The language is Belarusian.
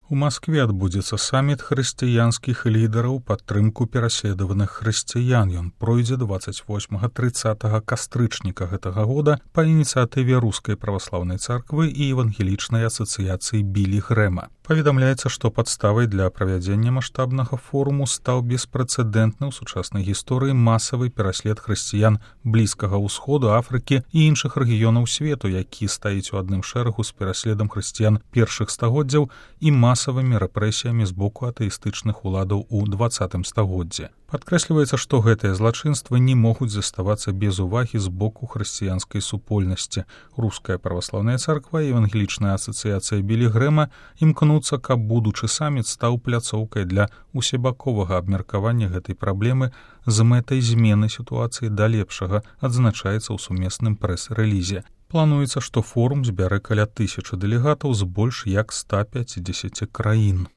У Маскве адбудзецца саміт хрысціянскіх лідараў падтрымку пераследаваных хрысціян. Ён пройдзе 28-30 кастрычніка гэтага года па ініцыятыве Рускай праваслаўнай царквы і евангелічнай асацыяцыі Білі Грэма. Паведамляецца, што падставай для правядзення маштабнага форуму стаў беспрэцэдэнтны ў сучаснай гісторыі масавы пераслед хрысціян Блізкага ўсходу, Афрыкі і іншых рэгіёнаў свету, які стаіць у адным шэрагу з пераследам хрысціян першых стагоддзяў і масавымі рэпрэсіямі з боку атэістычных уладаў у 20 стагоддзі. Падкрэсліваецца, што гэтыя злачынствы не могуць заставацца без увагі з боку хрысціянскай супольнасці. Руская праваслаўная царква і евангелічная асацыяцыя Білі Грэма імкнуцца, каб будучы саміт стаў пляцоўкай для усебаковага абмеркавання гэтай праблемы з мэтай змены сітуацыі да лепшага, адзначаецца ў сумесным прэс-рэлізе. Плануецца, што форум збярэ каля 1000 дэлегатаў з больш як 150 краін.